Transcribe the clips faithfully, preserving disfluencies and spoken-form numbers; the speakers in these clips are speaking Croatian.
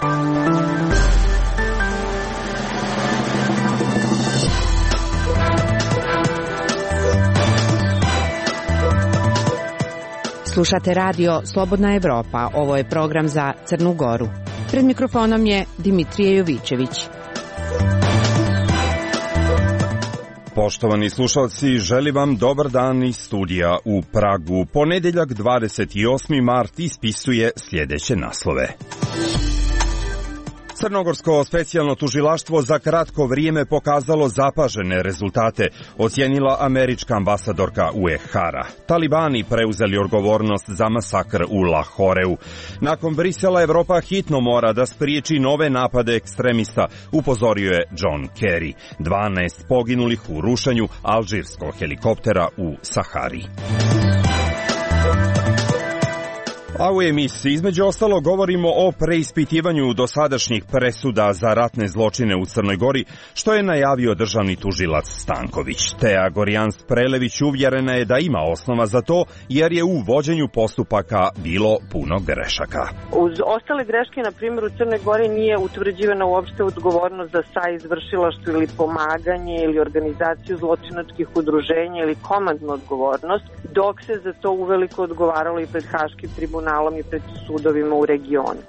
Slušate radio Slobodna Evropa, ovo je program za Crnu Goru. Pred mikrofonom je Dimitrije Jovićević. Poštovani slušalci, želim vam dobar dan iz studija u Pragu. Ponedjeljak dvadeset osmi mart ispisuje sljedeće naslove. Crnogorsko specijalno tužilaštvo za kratko vrijeme pokazalo zapažene rezultate, ocijenila američka ambasadorka U E H-a. Talibani preuzeli odgovornost za masakr u Lahoreu. Nakon Brisela, Evropa hitno mora da spriječi nove napade ekstremista, upozorio je John Kerry. dvanaest poginulih u rušenju alžirskog helikoptera u Sahari. A u emisiji između ostalo govorimo o preispitivanju dosadašnjih presuda za ratne zločine u Crnoj Gori, što je najavio državni tužilac Stanković. Tea Gorjans Prelević uvjerena je da ima osnova za to, jer je u vođenju postupaka bilo puno grešaka. Uz ostale greške, na primjer, u Crnoj Gori nije utvrđivana uopšte odgovornost za saizvršilaštvo ili pomaganje ili organizaciju zločinačkih udruženja ili komandnu odgovornost, dok se za to uveliko odgovaralo i pred Haškim tribunalom i pred sudovima u regionu.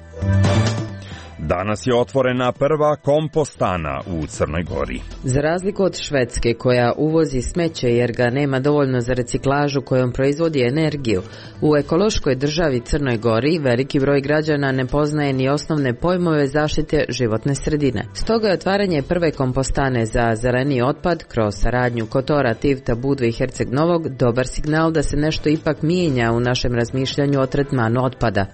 Danas je otvorena prva kompostana u Crnoj Gori. Za razliku od Švedske, koja uvozi smeće jer ga nema dovoljno za reciklažu kojom proizvodi energiju, u ekološkoj državi Crnoj Gori veliki broj građana ne poznaje ni osnovne pojmove zaštite životne sredine. Stoga je otvaranje prve kompostane za zeleni otpad kroz saradnju Kotora, Tivta, Budve i Herceg Novog dobar signal da se nešto ipak mijenja u našem razmišljanju o tretmanu otpada.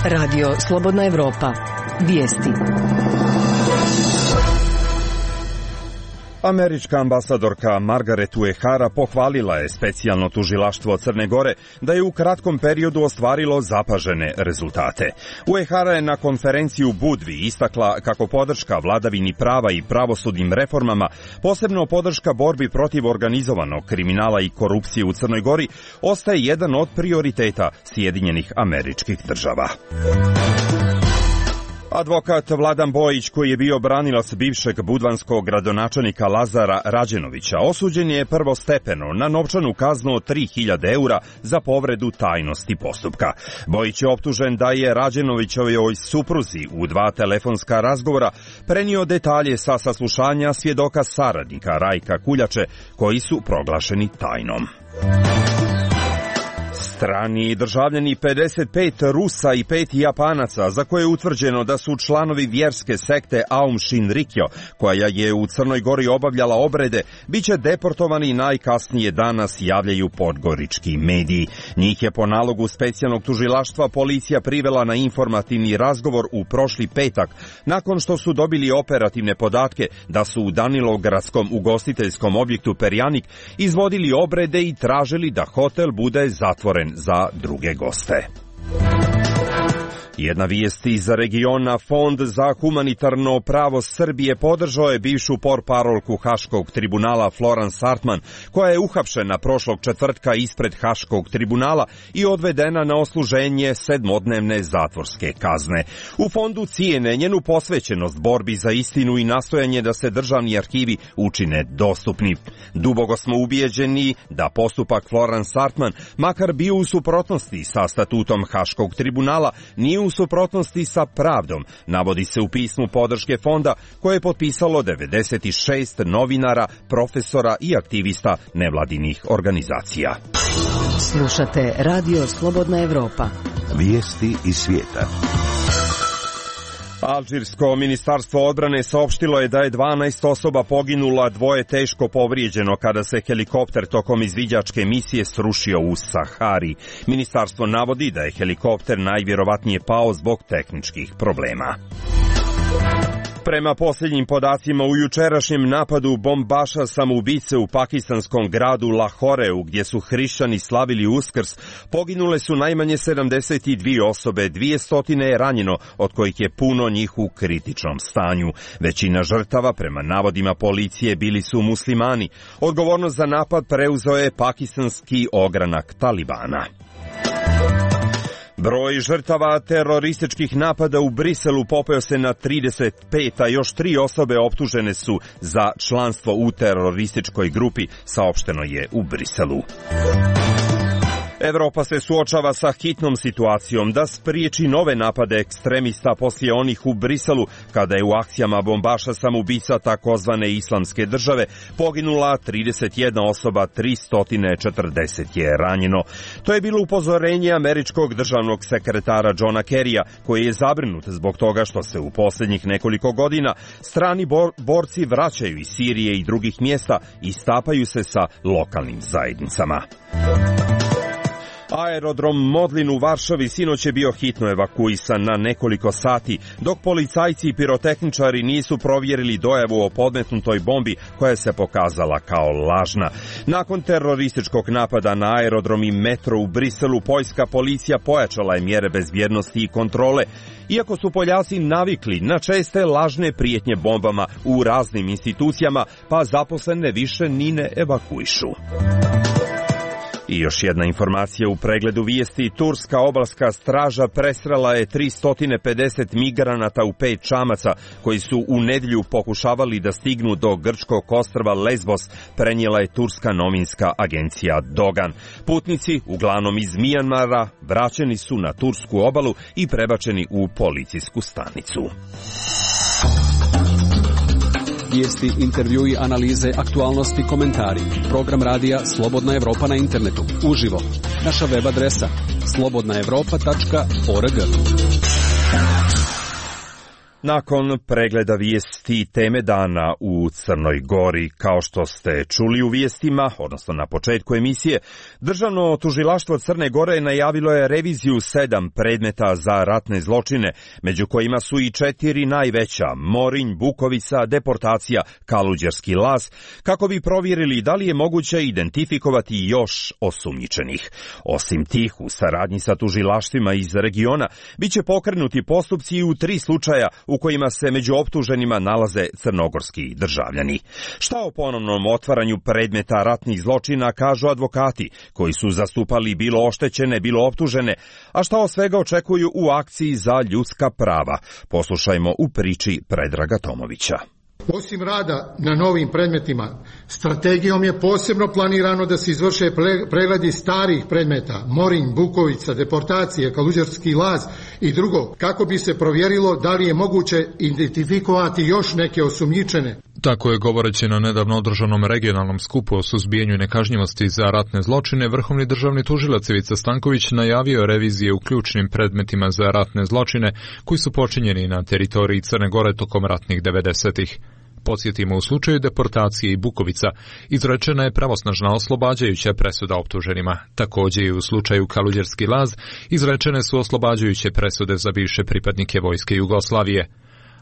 Radio Slobodna Evropa. Vijesti. Američka ambasadorka Margaret U E H-a pohvalila je specijalno tužilaštvo Crne Gore da je u kratkom periodu ostvarilo zapažene rezultate. U E H-a je na konferenciji u Budvi istakla kako podrška vladavini prava i pravosudnim reformama, posebno podrška borbi protiv organizovanog kriminala i korupcije u Crnoj Gori, ostaje jedan od prioriteta Sjedinjenih Američkih Država. Advokat Vladan Bojić, koji je bio branilac bivšeg budvanskog gradonačelnika Lazara Rađenovića, osuđen je prvostepeno na novčanu kaznu od tri hiljade eura za povredu tajnosti postupka. Bojić je optužen da je Rađenovićovoj supruzi u dva telefonska razgovora prenio detalje sa saslušanja svjedoka saradnika Rajka Kuljače, koji su proglašeni tajnom. Strani državljani pedeset pet Rusa i pet Japanaca, za koje je utvrđeno da su članovi vjerske sekte Aum Shinrikyo, koja je u Crnoj Gori obavljala obrede, bit će deportovani najkasnije danas, javljaju podgorički mediji. Njih je po nalogu specijalnog tužilaštva policija privela na informativni razgovor u prošli petak, nakon što su dobili operativne podatke da su u Danilogradskom ugostiteljskom objektu Perjanik izvodili obrede i tražili da hotel bude zatvoren za druge goste. Jedna vijest iz regiona. Fond za humanitarno pravo Srbije podržao je bivšu portparolku Haškog tribunala Florence Hartman, koja je uhapšena prošlog četvrtka ispred Haškog tribunala i odvedena na odsluženje sedmodnevne zatvorske kazne. U fondu cijene njenu posvećenost borbi za istinu i nastojanje da se državni arhivi učine dostupni. Dubogo smo ubijeđeni da postupak Florence Hartman, makar bio u suprotnosti sa statutom Haškog tribunala, nije u suprotnosti sa pravdom, navodi se u pismu podrške fonda koje je potpisalo devedeset šest novinara, profesora i aktivista nevladinih organizacija. Slušate Radio Slobodna Evropa. Vijesti iz svijeta. Alžirsko ministarstvo odbrane saopštilo je da je dvanaest osoba poginula, dvoje teško povrijeđeno kada se helikopter tokom izviđačke misije srušio u Sahari. Ministarstvo navodi da je helikopter najvjerovatnije pao zbog tehničkih problema. Prema posljednjim podacima, u jučerašnjem napadu bombaša samoubice u pakistanskom gradu Lahoreu, gdje su hrišćani slavili Uskrs, poginule su najmanje sedamdeset dvije osobe, dvjesto je ranjeno, od kojih je puno njih u kritičnom stanju. Većina žrtava, prema navodima policije, bili su muslimani. Odgovornost za napad preuzeo je pakistanski ogranak Talibana. Broj žrtava terorističkih napada u Briselu popeo se na trideset pet, a još tri osobe optužene su za članstvo u terorističkoj grupi, saopšteno je u Briselu. Evropa se suočava sa hitnom situacijom da spriječi nove napade ekstremista poslije onih u Briselu, kada je u akcijama bombaša samoubica takozvane islamske države poginula trideset jedna osoba, tristo četrdeset je ranjeno. To je bilo upozorenje američkog državnog sekretara Johna Kerrya, koji je zabrinut zbog toga što se u posljednjih nekoliko godina strani bor- borci vraćaju iz Sirije i drugih mjesta i stapaju se sa lokalnim zajednicama. Aerodrom Modlin u Varšavi sinoć je bio hitno evakuisan na nekoliko sati, dok policajci i pirotehničari nisu provjerili dojavu o podmetnutoj bombi koja se pokazala kao lažna. Nakon terorističkog napada na aerodrom i metro u Briselu, poljska policija pojačala je mjere bezbjednosti i kontrole, iako su Poljaci navikli na česte lažne prijetnje bombama u raznim institucijama, pa zaposlene više ni ne evakuišu. I još jedna informacija u pregledu vijesti. Turska obalska straža presrela je tristo pedeset migranata u pet čamaca koji su u nedjelju pokušavali da stignu do grčkog ostrva Lesbos, prenijela je turska novinska agencija Dogan. Putnici, uglavnom iz Mijanmara, vraćeni su na tursku obalu i prebačeni u policijsku stanicu. Vijesti, intervjui, analize, aktualnosti, komentari. Program radija Slobodna Evropa na internetu. Uživo. Naša web adresa slobodna evropa tačka org. Nakon pregleda vijesti teme dana u Crnoj Gori, kao što ste čuli u vijestima, odnosno na početku emisije, Državno tužilaštvo Crne Gore najavilo je reviziju sedam predmeta za ratne zločine, među kojima su i četiri najveća, Morinj, Bukovica, deportacija, Kaluđerski laz, kako bi provjerili da li je moguće identifikovati još osumnjičenih. Osim tih, u saradnji sa tužilaštvima iz regiona, bit će pokrenuti postupci i u tri slučaja u kojima se među optuženima nalaze crnogorski državljani. Šta o ponovnom otvaranju predmeta ratnih zločina kažu advokati, koji su zastupali bilo oštećene, bilo optužene, a šta od svega očekuju u akciji za ljudska prava? Poslušajmo u priči Predraga Tomovića. Osim rada na novim predmetima, strategijom je posebno planirano da se izvrše pregledi starih predmeta, Morinj, Bukovica, deportacije, Kaluđerski laz i drugo, kako bi se provjerilo da li je moguće identifikovati još neke osumnjičene. Tako je, govoreći na nedavno održanom regionalnom skupu o suzbijanju nekažnjivosti za ratne zločine, vrhovni državni tužilac Ivica Stanković najavio revizije u ključnim predmetima za ratne zločine koji su počinjeni na teritoriji Crne Gore tokom ratnih devedesetih. Podsjetimo, u slučaju deportacije i Bukovica izrečena je pravosnažna oslobađajuća presuda optuženima. Također i u slučaju Kaluđerski laz izrečene su oslobađajuće presude za bivše pripadnike vojske Jugoslavije.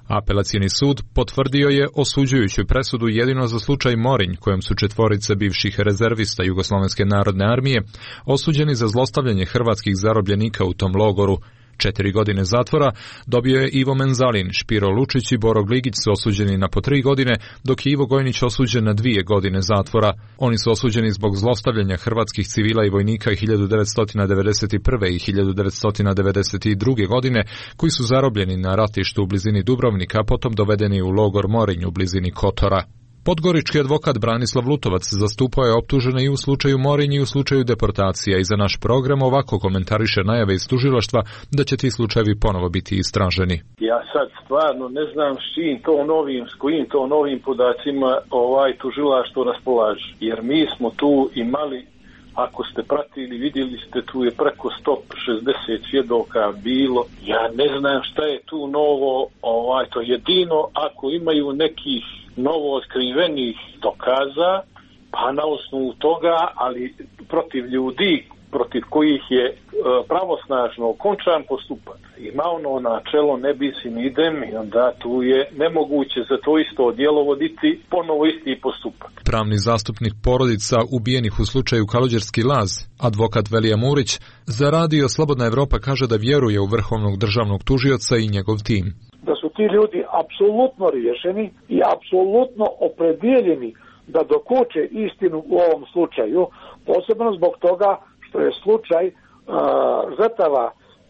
Apelacioni sud potvrdio je osuđujuću presudu jedino za slučaj Morinj, kojem su četvorice bivših rezervista Jugoslovenske narodne armije osuđeni za zlostavljanje hrvatskih zarobljenika u tom logoru. Četiri godine zatvora dobio je Ivo Menzalin, Špiro Lučić i Boro Gligić su osuđeni na po tri godine, dok je Ivo Gojnić osuđen na dvije godine zatvora. Oni su osuđeni zbog zlostavljanja hrvatskih civila i vojnika hiljadu devetsto devedeset prve i hiljadu devetsto devedeset druge godine, koji su zarobljeni na ratištu u blizini Dubrovnika, potom dovedeni u logor Morinj u blizini Kotora. Podgorički advokat Branislav Lutovac zastupao je optužene i u slučaju Morinj i u slučaju deportacija i za naš program ovako komentariše najave iz tužilaštva da će ti slučajevi ponovo biti istraženi. Ja sad stvarno ne znam s čim to novim, s kojim to novim podacima ovaj tužilaštvo raspolaže, jer mi smo tu imali, ako ste pratili, vidjeli ste, tu je preko sto šezdeset svjedoka bilo. Ja ne znam šta je tu novo, ovaj, to jedino ako imaju nekih novo otkrivenih dokaza, pa na osnovu toga, ali protiv ljudi protiv kojih je e, pravosnažno okončan postupak. Ima ono načelo ne bis in idem i onda tu je nemoguće za to isto djelo voditi ponovo isti postupak. Pravni zastupnik porodica ubijenih u slučaju Kaluđerski laz, advokat Velija Murić, za radio Slobodna Evropa kaže da vjeruje u vrhovnog državnog tužioca i njegov tim. Da su ti ljudi apsolutno riješeni i apsolutno opredjeljeni da dokuče istinu u ovom slučaju, posebno zbog toga što je slučaj uh, žrtava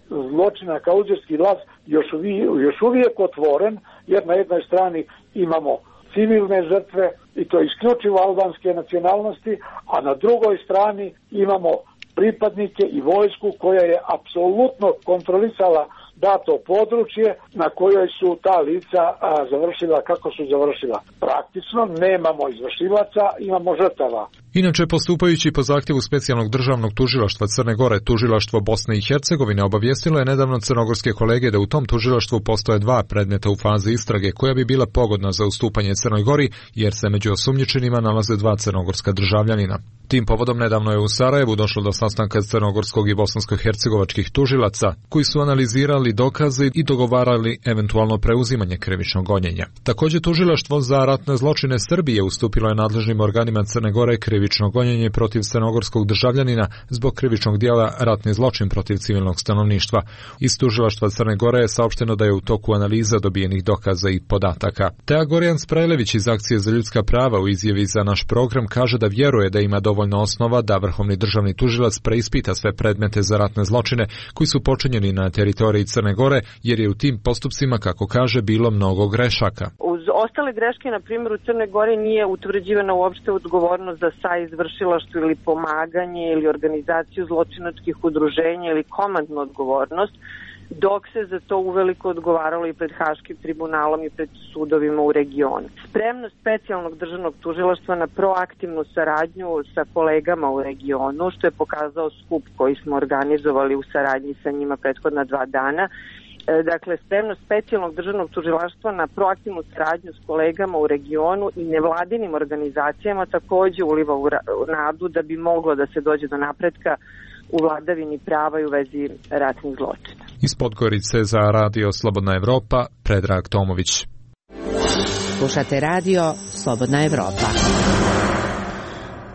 zločina Kaluđerski laz još uvijek, još uvijek otvoren, jer na jednoj strani imamo civilne žrtve i to isključivo albanske nacionalnosti, a na drugoj strani imamo pripadnike i vojsku koja je apsolutno kontrolisala dato područje na kojoj su ta lica a, završila kako su završila. Praktično nemamo izvršilaca, imamo žrtava. Inače, postupajući po zahtjevu specijalnog državnog tužilaštva Crne Gore, tužilaštvo Bosne i Hercegovine obavijestilo je nedavno crnogorske kolege da u tom tužilaštvu postoje dva predmeta u fazi istrage koja bi bila pogodna za ustupanje Crnoj Gori, jer se među osumnjičenima nalaze dva crnogorska državljanina. Tim povodom nedavno je u Sarajevu došlo do sastanka crnogorskog i bosansko-hercegovačkih tužilaca, koji su analizirali dokaze i dogovarali eventualno preuzimanje krivičnog gonjenja. Također, tužilaštvo za ratne zločine Srbije ustupilo je nadležnim organima Crne Gore krivično gonjenje protiv crnogorskog državljanina zbog krivičnog dijela ratni zločin protiv civilnog stanovništva. Iz tužilaštva Crne Gore je saopšteno da je u toku analiza dobijenih dokaza i podataka. Teja Gorjan Sprajlević iz Akcije za ljudska prava u izjavi za naš program kaže da vjeruje da ima dovoljno osnova da vrhovni državni tužilac preispita sve predmete za ratne zločine koji su počinjeni na teritoriji Crne Gore, jer je u tim postupcima, kako kaže, bilo mnogo grešaka. Uz ostale greške, na primjer, u Crne Gore nije utvrđivana uopšte odgovornost za saizvršilaštvo ili pomaganje ili organizaciju zločinačkih udruženja ili komandnu odgovornost, dok se za to uveliko odgovaralo i pred Haškim tribunalom i pred sudovima u regionu. Spremnost specijalnog državnog tužilaštva na proaktivnu saradnju sa kolegama u regionu, što je pokazao skup koji smo organizovali u saradnji sa njima prethodna dva dana. Dakle, spremnost specijalnog državnog tužilaštva na proaktivnu saradnju s kolegama u regionu i nevladinim organizacijama također uliva u nadu da bi moglo da se dođe do napretka u vladavini prava i u vezi ratnih zločina. Iz Podgorice za Radio Slobodna Evropa, Predrag Tomović. Slušate Radio Slobodna Evropa.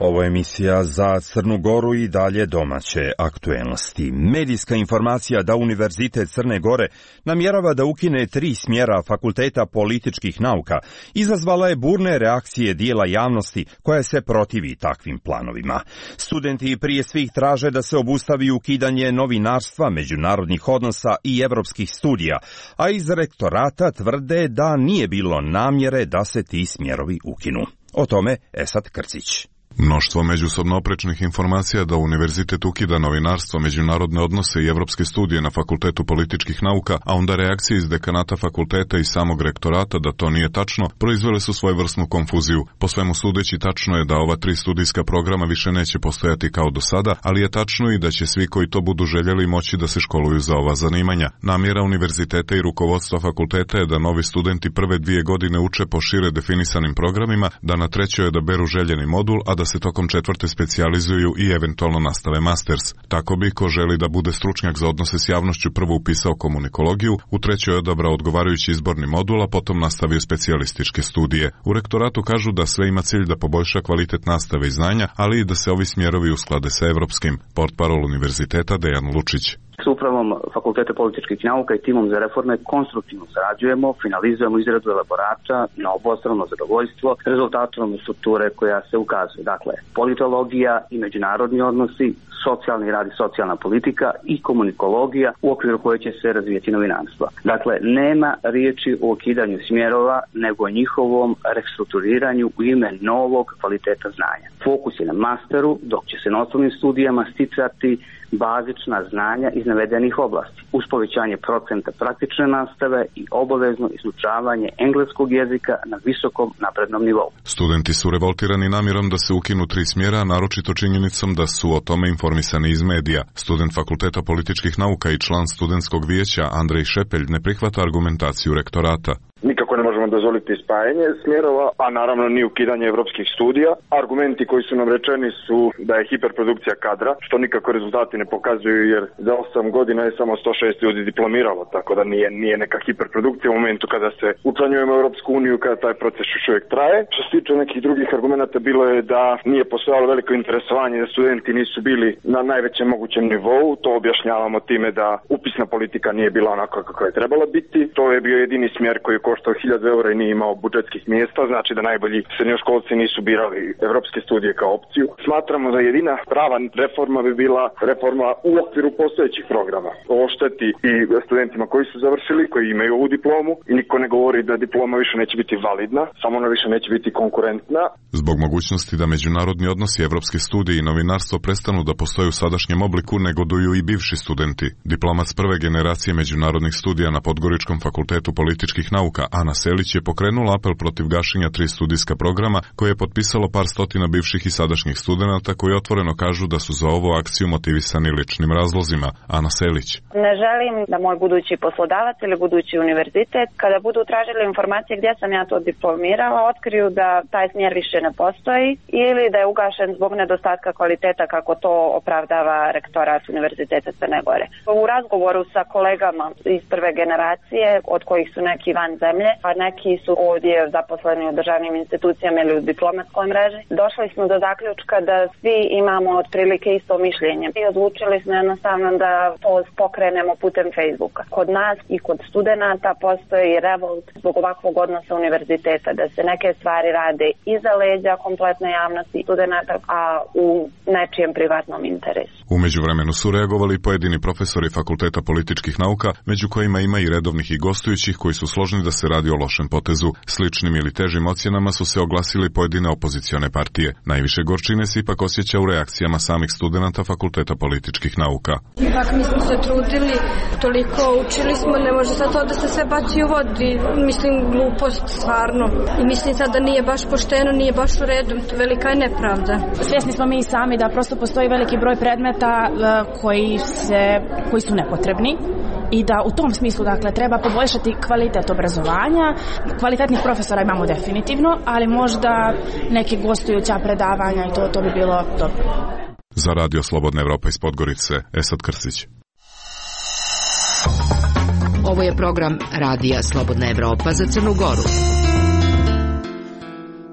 Ovo je emisija za Crnu Goru i dalje domaće aktuelnosti. Medijska informacija da Univerzitet Crne Gore namjerava da ukine tri smjera Fakulteta političkih nauka izazvala je burne reakcije dijela javnosti koja se protivi takvim planovima. Studenti prije svih traže da se obustavi ukidanje novinarstva, međunarodnih odnosa i evropskih studija, a iz rektorata tvrde da nije bilo namjere da se ti smjerovi ukinu. O tome Esad Krcić. Mnoštvo međusobno oprečnih informacija da univerzitet ukida novinarstvo, međunarodne odnose i evropske studije na Fakultetu političkih nauka, a onda reakcije iz dekanata fakulteta i samog rektorata da to nije tačno, proizvele su svojevrsnu konfuziju. Po svemu sudeći, tačno je da ova tri studijska programa više neće postojati kao do sada, ali je tačno i da će svi koji to budu željeli moći da se školuju za ova zanimanja. Namjera univerziteta i rukovodstva fakulteta je da novi studenti prve dvije godine uče po šire definisanim programima, da na trećoj odaberu željeni modul, a da se tokom četvrte specijalizuju i eventualno nastave masters. Tako bi, ko želi da bude stručnjak za odnose s javnošću, prvo upisao komunikologiju, u trećoj odabrao odgovarajući izborni modul, a potom nastavio specijalističke studije. U rektoratu kažu da sve ima cilj da poboljša kvalitet nastave i znanja, ali i da se ovi smjerovi usklade sa evropskim. Portparol univerziteta Dejan Lučić. S upravom Fakulteta političkih nauka i timom za reforme konstruktivno sarađujemo, finalizujemo izradu elaborata na obostrano zadovoljstvo rezultatom strukture koja se ukazuje. Dakle, politologija i međunarodni odnosi, socijalni rad i socijalna politika i komunikologija u okviru koje će se razvijeti novinarstvo. Dakle, nema riječi o ukidanju smjerova, nego o njihovom restrukturiranju u ime novog kvaliteta znanja. Fokus je na masteru, dok će se na osnovnim studijama sticati bazična znanja iz navedenih oblasti, uz povećanje procenta praktične nastave i obavezno izučavanje engleskog jezika na visokom naprednom nivou. Studenti su revoltirani namjerom da se ukinu tri smjera, naročito činjenicom da su o tome informisani iz medija. Student Fakulteta političkih nauka i član studentskog vijeća Andrej Šepelj ne prihvata argumentaciju rektorata. Nikako ne možemo dozvoliti spajanje smjerova, a naravno ni ukidanje evropskih studija. Argumenti koji su nam rečeni su da je hiperprodukcija kadra, što nikako rezultati ne pokazuju, jer za osam godina je samo sto šest ljudi diplomiralo, tako da nije, nije neka hiperprodukcija u momentu kada se učlanjujemo u Europsku uniju, kada taj proces još uvijek traje. Što se tiče nekih drugih argumenta, bilo je da nije postojalo veliko interesovanje, da studenti nisu bili na najvećem mogućem nivou. To objašnjavamo time da upisna politika nije bila onako kako je trebala biti. To je bio jedini smjer koji koštao hiljadu eura i nije imao budžetskih mjesta, znači da najbolji srednjoškolci nisu birali evropske studije kao opciju. Smatramo da jedina prava reforma bi bila reforma u okviru postojećih programa. Ovo šteti i studentima koji su završili, koji imaju ovu diplomu i niko ne govori da diploma više neće biti validna, samo ona više neće biti konkurentna. Zbog mogućnosti da međunarodni odnosi, evropske studije i novinarstvo prestanu da postoje u sadašnjem obliku, negoduju i bivši studenti. Diplomac prve generacije međunarodnih studija na Podgoričkom fakultetu političkih nauka Ana Selić je pokrenula apel protiv gašenja tri studijska programa koje je potpisalo par stotina bivših i sadašnjih studenata koji otvoreno kažu da su za ovu akciju motivisani ličnim razlozima. Ana Selić. Ne želim da moj budući poslodavac ili budući univerzitet, kada budu tražili informacije gdje sam ja to diplomirala, otkriju da taj smjer više ne postoji ili da je ugašen zbog nedostatka kvaliteta kako to opravdava rektorat Univerziteta Crne Gore. U razgovoru sa kolegama iz prve generacije, od kojih su neki van zemlje, a neki su ovdje zaposleni u državnim institucijama ili u diplomatskoj mreži, došli smo do zaključka da svi imamo otprilike isto mišljenje i odlučili smo jednostavno da to pokrenemo putem Facebooka. Kod nas i kod studenata postoji revolt zbog ovakvog odnosa univerziteta, da se neke stvari rade iza leđa kompletne javnosti studenata, a u nečijem privatnom interesu. U međuvremenu su reagovali pojedini profesori Fakulteta političkih nauka, među kojima ima i redovnih i gostujućih koji su složni da se radi o lošem potezu. Sličnim ili težim ocjenama su se oglasili pojedine opozicione partije. Najviše gorčine se ipak osjeća u reakcijama samih studenata Fakulteta političkih nauka. Ipak mi smo se trudili, toliko učili smo, ne može sad to da se sve baci u vodi. Mislim, glupost stvarno. I mislim sad da nije baš pošteno, nije baš u redu, velika je nepravda. Svjesni smo mi sami da prosto postoji veliki broj predmeta koji, se, koji su nepotrebni i da u tom smislu dakle treba poboljšati kvalitet obrazovanja. Kvalitetnih profesora imamo definitivno, ali možda neke gostujuća predavanja i to, to bi bilo dobro. Za Radio Slobodna Evropa iz Podgorice, Esad Krstić. Ovo je program Radija Slobodna Evropa za Crnu Goru.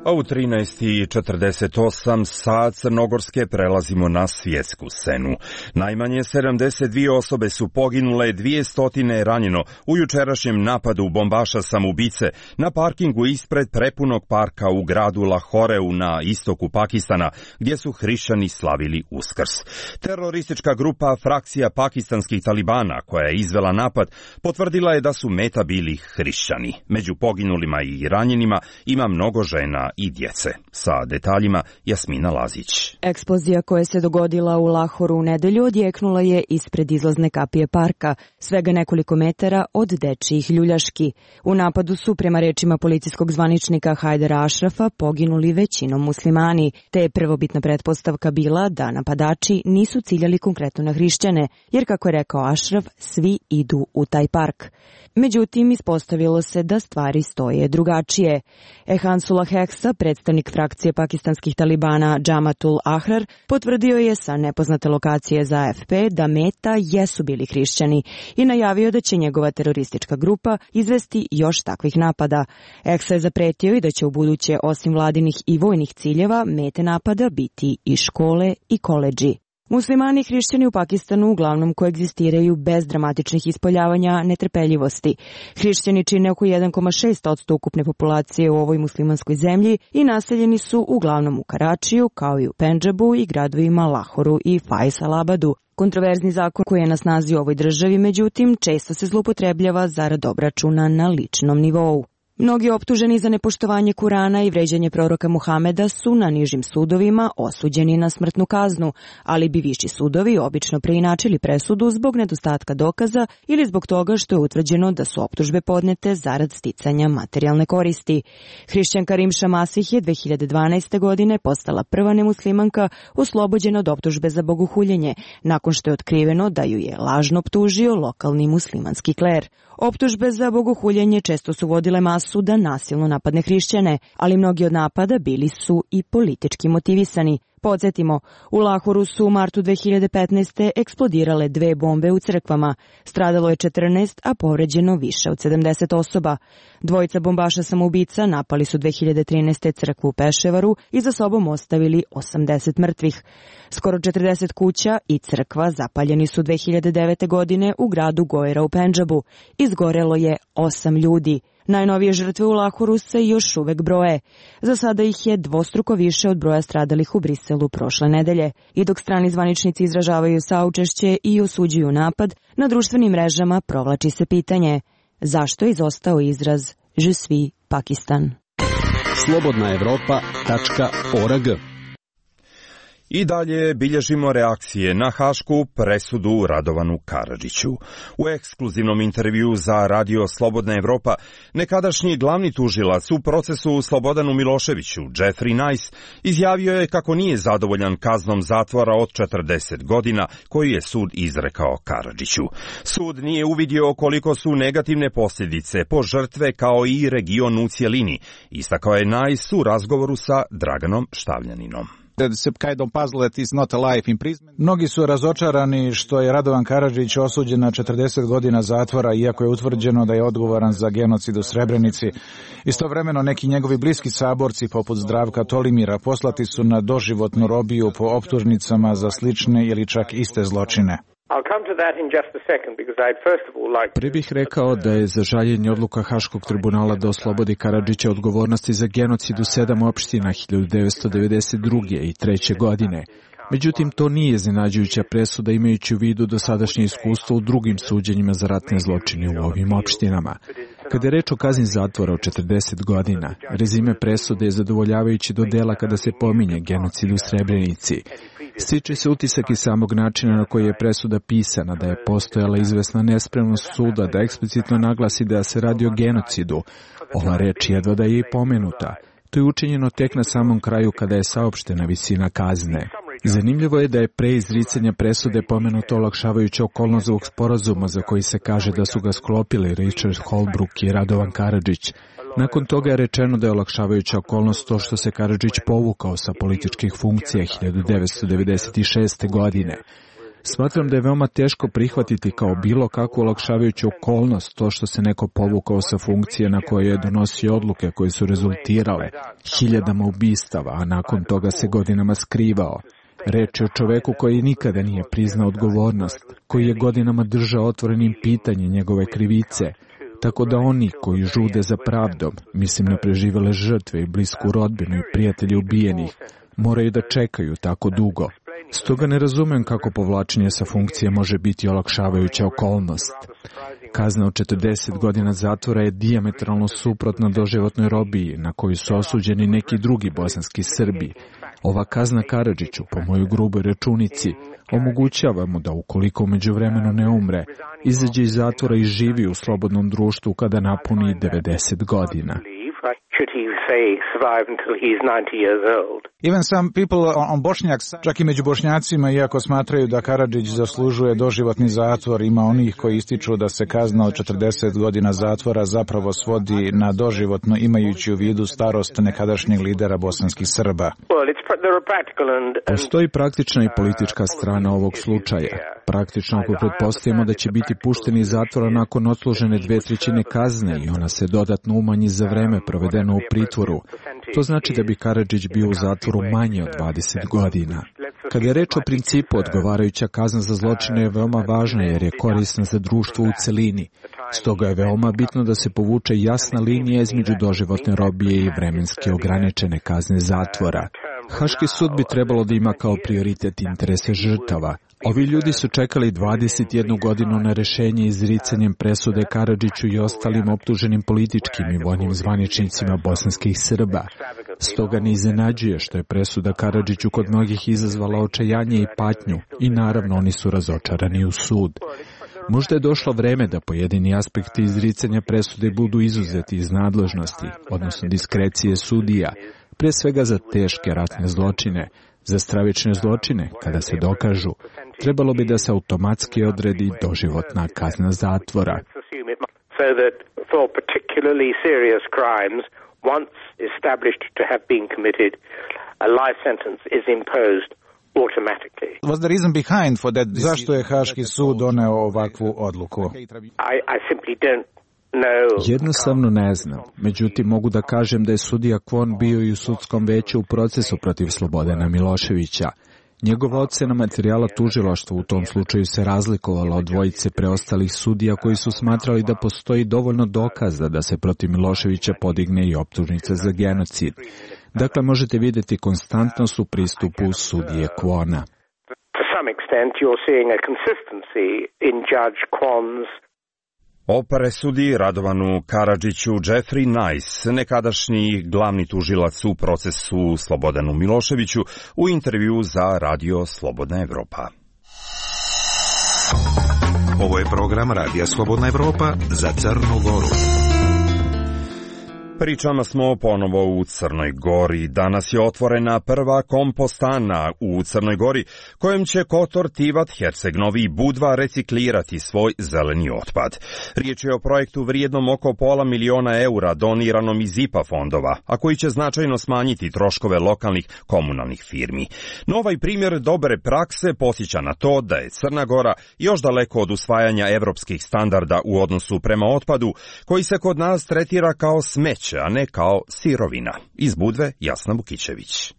A u trinaest i četrdeset osam sa crnogorske prelazimo na svjetsku scenu. Najmanje sedamdeset dvije osobe su poginule, dvjesto je ranjeno u jučerašnjem napadu bombaša samoubice na parkingu ispred prepunog parka u gradu Lahoreu na istoku Pakistana, gdje su hrišćani slavili Uskrs. Teroristička grupa frakcija pakistanskih talibana koja je izvela napad potvrdila je da su meta bili hrišćani. Među poginulima i ranjenima ima mnogo žena i djece. Sa detaljima Jasmina Lazić. Eksplozija koja se dogodila u Lahoru u nedelju odjeknula je ispred izlazne kapije parka, svega nekoliko metara od dečijih ljuljaški. U napadu su, prema rečima policijskog zvaničnika Hajdara Ašrafa, poginuli većinom muslimani, te je prvobitna pretpostavka bila da napadači nisu ciljali konkretno na hrišćane, jer kako je rekao Ašraf, svi idu u taj park. Međutim, ispostavilo se da stvari stoje drugačije. Ehansullah Heksa, predstavnik frakcije pakistanskih talibana Džamatul Ahrar, potvrdio je sa nepoznate lokacije za A F P da meta jesu bili hrišćani i najavio da će njegova teroristička grupa izvesti još takvih napada. Heksa je zapretio i da će u buduće, osim vladinih i vojnih ciljeva, mete napada biti i škole i koledži. Muslimani i hrišćani u Pakistanu uglavnom koegzistiraju bez dramatičnih ispoljavanja netrpeljivosti. Hrišćani čine oko jedan zarez šest posto ukupne populacije u ovoj muslimanskoj zemlji i naseljeni su uglavnom u Karačiju, kao i u Pendžabu i gradovima Lahoru i Faisalabadu. Kontroverzni zakon koji je na snazi u ovoj državi, međutim, često se zloupotrebljava zarad obračuna na ličnom nivou. Mnogi optuženi za nepoštovanje Kurana i vređanje proroka Muhameda su na nižim sudovima osuđeni na smrtnu kaznu, ali bi viši sudovi obično preinačili presudu zbog nedostatka dokaza ili zbog toga što je utvrđeno da su optužbe podnete zarad sticanja materijalne koristi. Hrišćanka Rimša Masih je dve hiljade dvanaeste. godine postala prva nemuslimanka oslobođena od optužbe za bogohuljenje, nakon što je otkriveno da ju je lažno optužio lokalni muslimanski kler. Optužbe za bogohuljenje često su vodile masu da nasilno napadne hrišćane, ali mnogi od napada bili su i politički motivisani. Podsjetimo, u Lahoru su u martu dve hiljade petnaeste. eksplodirale dve bombe u crkvama. Stradalo je četrnaest, a povređeno više od sedamdeset osoba. Dvojica bombaša samoubica napali su dve hiljade trinaeste. crkvu u Peševaru i za sobom ostavili osamdeset mrtvih. Skoro četrdeset kuća i crkva zapaljeni su dve hiljade devete. godine u gradu Gojra u Pendžabu. Izgorelo je osam ljudi. Najnovije žrtve u Lahoru se još uvek broje. Za sada ih je dvostruko više od broja stradalih u Briselu prošle nedelje. I dok strani zvaničnici izražavaju saučešće i osuđuju napad, na društvenim mrežama provlači se pitanje zašto je izostao izraz Je suis Pakistan. slobodna evropa tačka org. I dalje bilježimo reakcije na hašku presudu Radovanu Karadžiću. U ekskluzivnom intervju za Radio Slobodna Evropa nekadašnji glavni tužilac u procesu Slobodanu Miloševiću, Jeffrey Nice, izjavio je kako nije zadovoljan kaznom zatvora od četrdeset godina koju je sud izrekao Karadžiću. Sud nije uvidio koliko su negativne posljedice po žrtve kao i region u cjelini, istakao je Nice u razgovoru sa Draganom Štavljaninom. Mnogi su razočarani što je Radovan Karadžić osuđen na četrdeset godina zatvora, iako je utvrđeno da je odgovoran za genocid u Srebrenici. Istovremeno neki njegovi bliski saborci, poput Zdravka Tolimira, poslati su na doživotnu robiju po optužnicama za slične ili čak iste zločine. Prvi bih rekao da je za žaljenje odluka Haškog tribunala da oslobodi Karadžića odgovornosti za genocid u sedam opština hiljadu devetsto devedeset druge i treće godine. Međutim, to nije iznenađujuća presuda imajući u vidu dosadašnje iskustvo u drugim suđenjima za ratne zločine u ovim opštinama. Kada je reč o kazni zatvora od četrdeset godina, rezime presude je zadovoljavajući do dela kada se pominje genocid u Srebrenici. Stiče se utisak iz samog načina na koji je presuda pisana, da je postojala izvesna nespremnost suda da eksplicitno naglasi da se radi o genocidu. Ova reč jedva da je i pomenuta. To je učinjeno tek na samom kraju kada je saopštena visina kazne. Zanimljivo je da je pre izricanja presude pomenuto olakšavajuća okolnost ovog sporazuma za koji se kaže da su ga sklopili Richard Holbrooke i Radovan Karadžić. Nakon toga je rečeno da je olakšavajuća okolnost to što se Karadžić povukao sa političkih funkcija hiljadu devetsto devedeset šeste. godine. Smatram da je veoma teško prihvatiti kao bilo kakvu olakšavajuću okolnost to što se neko povukao sa funkcije na koje je donosio odluke koje su rezultirale hiljadama ubistava, a nakon toga se godinama skrivao. Reč je o čoveku koji nikada nije priznao odgovornost, koji je godinama držao otvorenim pitanje njegove krivice, tako da oni koji žude za pravdom, mislim na preživele žrtve i blisku rodbinu i prijatelje ubijenih, moraju da čekaju tako dugo. Stoga ne razumem kako povlačenje sa funkcije može biti olakšavajuća okolnost. Kazna od četrdeset godina zatvora je dijametralno suprotna doživotnoj robiji na koju su osuđeni neki drugi bosanski Srbi. Ova kazna Karadžiću, po mojoj gruboj računici, omogućava mu da ukoliko međuvremeno ne umre, izađe iz zatvora i živi u slobodnom društvu kada napuni devedeset godina. Even some people on Bošnjak, čak i među Bošnjacima, iako smatraju da Karadžić zaslužuje doživotni zatvor, ima onih koji ističu da se kazna od četrdeset godina zatvora zapravo svodi na doživotno, imajući u vidu starost nekadašnjeg lidera bosanskih Srba. Postoji praktična i politička strana ovog slučaja. Praktično ako pretpostavimo da će biti pušten iz zatvora nakon odslužene dve trećine kazne i ona se dodatno umanji za vreme provedeno u pritvoru, to znači da bi Karadžić bio u zatvoru manje od dvadeset godina. Kada je reč o principu, odgovarajuća kazna za zločine je veoma važna jer je korisna za društvo u celini. Stoga je veoma bitno da se povuče jasna linija između doživotne robije i vremenski ograničene kazne zatvora. Haški sud bi trebalo da ima kao prioritet interese žrtava. Ovi ljudi su čekali dvadeset jednu godinu na rešenje izricanjem presude Karadžiću i ostalim optuženim političkim i vojnim zvaničnicima bosanskih Srba. Stoga ne iznenađuje što je presuda Karadžiću kod mnogih izazvala očajanje i patnju i naravno oni su razočarani u sud. Možda je došlo vreme da pojedini aspekti izricanja presude budu izuzeti iz nadležnosti, odnosno diskrecije sudija, pre svega za teške ratne zločine. Za stravične zločine, kada se dokažu, trebalo bi da se automatski odredi doživotna kazna zatvora. Zašto je Haški sud doneo ovakvu odluku? Jednostavno ne znam. Međutim, mogu da kažem da je sudija Kvon bio i u sudskom veću u procesu protiv Slobodana Miloševića. Njegova ocena materijala tužilaštva u tom slučaju se razlikovala od dvojice preostalih sudija koji su smatrali da postoji dovoljno dokaza da se protiv Miloševića podigne i optužnica za genocid. Dakle, možete vidjeti konstantnost u pristupu sudije Kwona. To some extent you're seeing a consistency in Judge Kwon's. O presudi Radovanu Karadžiću Jeffrey Nice, nekadašnji glavni tužilac u procesu Slobodanu Miloševiću, u intervju za Radio Slobodna Evropa. Ovo je program Radija Slobodna Evropa za Crnu Goru. Pričama smo ponovo u Crnoj Gori. Danas je otvorena prva kompostana u Crnoj Gori, kojom će Kotor, Tivat, Herceg Novi i Budva reciklirati svoj zeleni otpad. Riječ je o projektu vrijednom oko pola miliona eura doniranom iz I P A fondova, a koji će značajno smanjiti troškove lokalnih komunalnih firmi. No ovaj primjer dobre prakse posjeća na to da je Crna Gora još daleko od usvajanja evropskih standarda u odnosu prema otpadu, koji se kod nas tretira kao smeće, a ne kao sirovina. Iz Budve, Jasna Vukićević.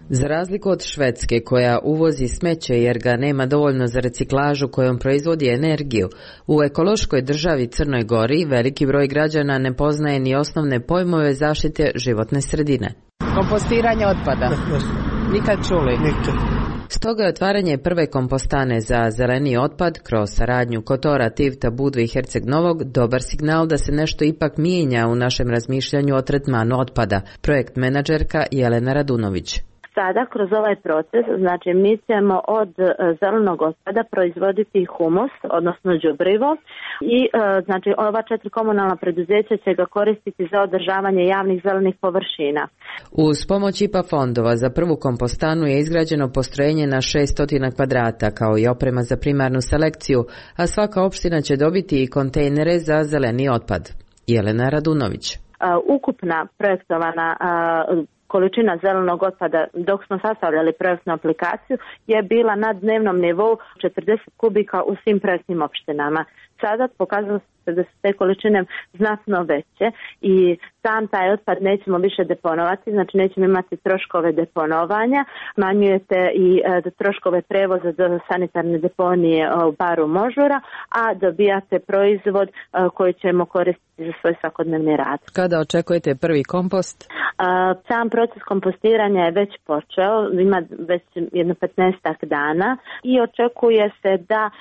Za razliku od Švedske, koja uvozi smeće jer ga nema dovoljno za reciklažu kojom proizvodi energiju, u ekološkoj državi Crnoj Gori veliki broj građana ne poznaje ni osnovne pojmove zaštite životne sredine. Kompostiranje otpada. Nikad čuli? Nikad. Stoga je otvaranje prve kompostane za zeleni otpad kroz saradnju Kotora, Tivta, Budve i Herceg Novog dobar signal da se nešto ipak mijenja u našem razmišljanju o tretmanu otpada. Projekt menadžerka Jelena Radunović. Sada kroz ovaj proces, znači mi ćemo od zelenog otpada proizvoditi humus, odnosno đubrivo i znači ova četiri komunalna preduzeća će ga koristiti za održavanje javnih zelenih površina. Uz pomoć I P A fondova za prvu kompostanu je izgrađeno postrojenje na šesto kvadrata kao i oprema za primarnu selekciju, a svaka opština će dobiti i kontejnere za zeleni otpad. Jelena Radunović. Ukupna projektovana količina zelenog otpada dok smo sastavljali projektnu aplikaciju je bila na dnevnom nivou četrdeset kubika u svim projektnim opštinama. Sada pokazalo se da su te količine znatno veće i sam taj otpad nećemo više deponovati, znači nećemo imati troškove deponovanja, smanjujete i e, troškove prevoza do sanitarne deponije u baru Možura, a dobijate proizvod e, koji ćemo koristiti za svoj svakodnevni rad. Kada očekujete prvi kompost? E, sam proces kompostiranja je već počeo, ima već jedno petnaestak dana i očekuje se da e,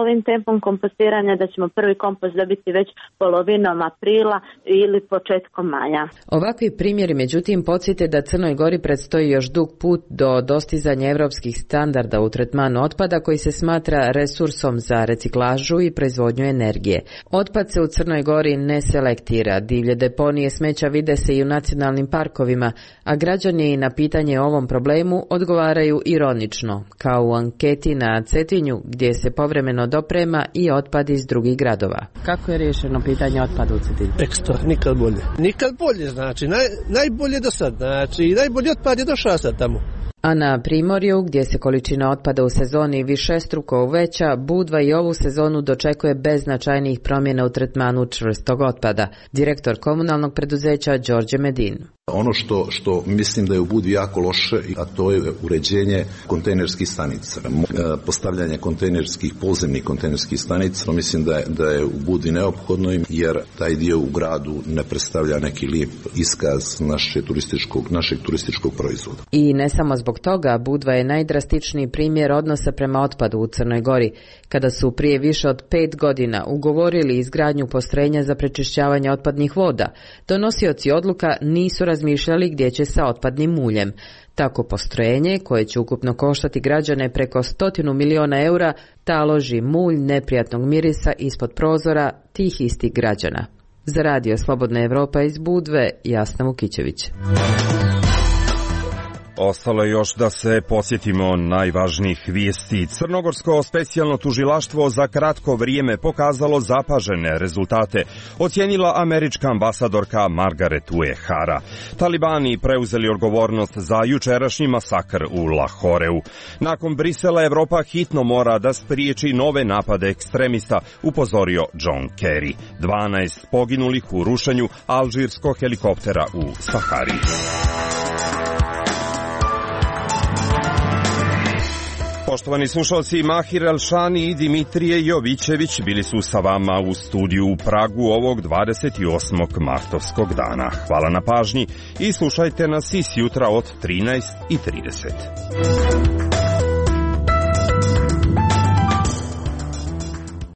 ovim tempom kompostiranja da ćemo prvi kompost dobiti već polovinom aprila ili početkom maja. Ovakvi primjeri međutim podsjete da Crnoj Gori predstoji još dug put do dostizanja evropskih standarda u tretmanu otpada koji se smatra resursom za reciklažu i proizvodnju energije. Otpad se u Crnoj Gori ne selektira, divlje deponije smeća vide se i u nacionalnim parkovima, a građani na pitanje o ovom problemu odgovaraju ironično, kao u anketi na Cetinju gdje se povremeno doprema i otpad iz drugih gradova. Kako je riješeno pitanje otpada u Cetinju? Ekstra, nikad bolje. Nikad bolje, znači, naj, najbolje do sad, znači, najbolji otpad je došao sad tamo. A na Primorju, gdje se količina otpada u sezoni višestruko uveća, Budva i ovu sezonu dočekuje bez značajnijih promjena u tretmanu čvrstog otpada. Direktor komunalnog preduzeća Đorđe Medin. Ono što, što mislim da je u Budvi jako loše, a to je uređenje kontejnerskih stanica. Postavljanje kontejnerskih, podzemnih kontejnerskih stanica, mislim da je, da je u Budvi neophodno, jer taj dio u gradu ne predstavlja neki lijep iskaz naše turističkog, našeg turističkog proizvoda. I ne samo zbog toga, Budva je najdrastičniji primjer odnosa prema otpadu u Crnoj Gori, kada su prije više od pet godina ugovorili izgradnju postrojenja za prečišćavanje otpadnih voda. Donosioci odluka nisu razmišljali gdje će sa otpadnim muljem. Tako postrojenje, koje će ukupno koštati građane preko stotinu miliona eura, taloži mulj neprijatnog mirisa ispod prozora tih istih građana. Za Radio Slobodna Evropa iz Budve, Jasna Vukićević. Ostalo je još da se podsjetimo najvažnijih vijesti. Crnogorsko specijalno tužilaštvo za kratko vrijeme pokazalo zapažene rezultate, ocijenila američka ambasadorka Margaret Uehara. Talibani preuzeli odgovornost za jučerašnji masakr u Lahoreu. Nakon Brisela, Evropa hitno mora da spriječi nove napade ekstremista, upozorio John Kerry. dvanaest poginulih u rušenju alžirskog helikoptera u Sahari. Poštovani slušalci, Mahir Elšani i Dimitrije Jovićević bili su sa vama u studiju u Pragu ovog dvadeset osmog martovskog dana. Hvala na pažnji i slušajte nas i sjutra od trinaest i trideset.